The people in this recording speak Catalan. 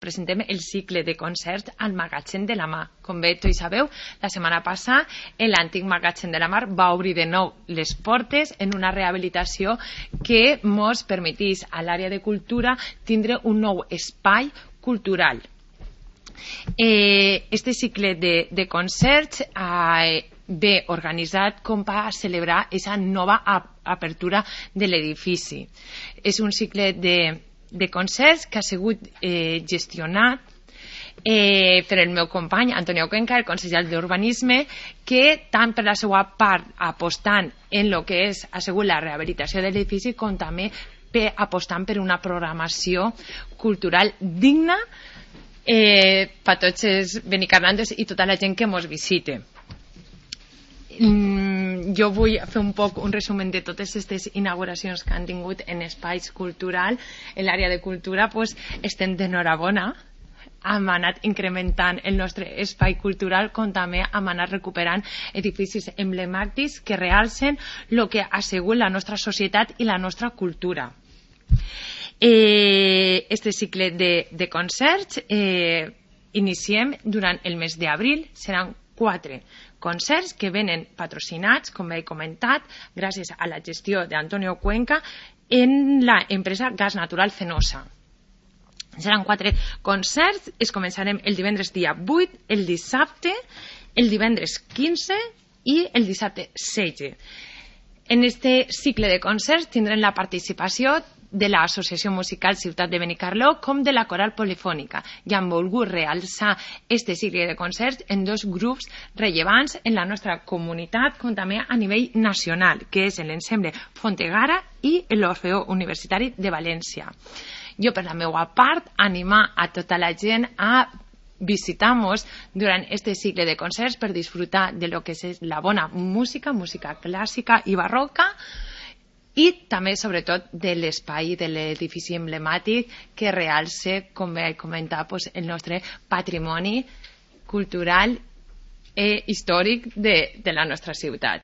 presentem el cicle de concerts al Magatzem de la Mar. Com bé tots sabeu, la setmana passada l'antic Magatzem de la Mar va obrir de nou les portes en una rehabilitació que ens permetís a l'àrea de cultura tindre un nou espai cultural. Este cicle de concerts ve organitzat com per celebrar aquesta nova apertura de l'edifici. És un cicle de concerts que ha sigut gestionat per el meu company Antonio Cuenca, el conseller d'Urbanisme, que tant per la seva part apostant en el que ha sigut la rehabilitació de l'edifici com també apostant per una programació cultural digna per tots els benicarlantes i tota la gent que ens visite. Jo vull fer un resum de totes aquestes inauguracions que han tingut en espais culturals. En l'àrea de cultura estem d'enhorabona, hem anat incrementant el nostre espai cultural com també hem anat recuperant edificis emblemàtics que realcen el que ha sigut la nostra societat i la nostra cultura. Este cicle de concerts iniciem durant el mes d'abril. Seran 4 concerts que venen patrocinats, com he comentat, gràcies a la gestió d'Antonio Cuenca en l'empresa Gas Natural Fenosa. Seran 4 concerts, es començarem el divendres dia 8, el dissabte, el divendres 15 i el dissabte 16. En este cicle de concerts tindrem la participació de l'Associació Musical Ciutat de Benicarló com de la Coral Polifònica i han volgut realçar este cicle de concerts en 2 grups rellevants en la nostra comunitat com també a nivell nacional, que és l'Ensemble Fontegara i l'Orfeó Universitari de València. Jo, per la meva part, animar a tota la gent a visitar-nos durant este cicle de concerts per disfrutar de lo que és la bona música clàssica i barroca, i també, sobretot, de l'espai de l'edifici emblemàtic que realça, com he comentat, el nostre patrimoni cultural i històric de la nostra ciutat.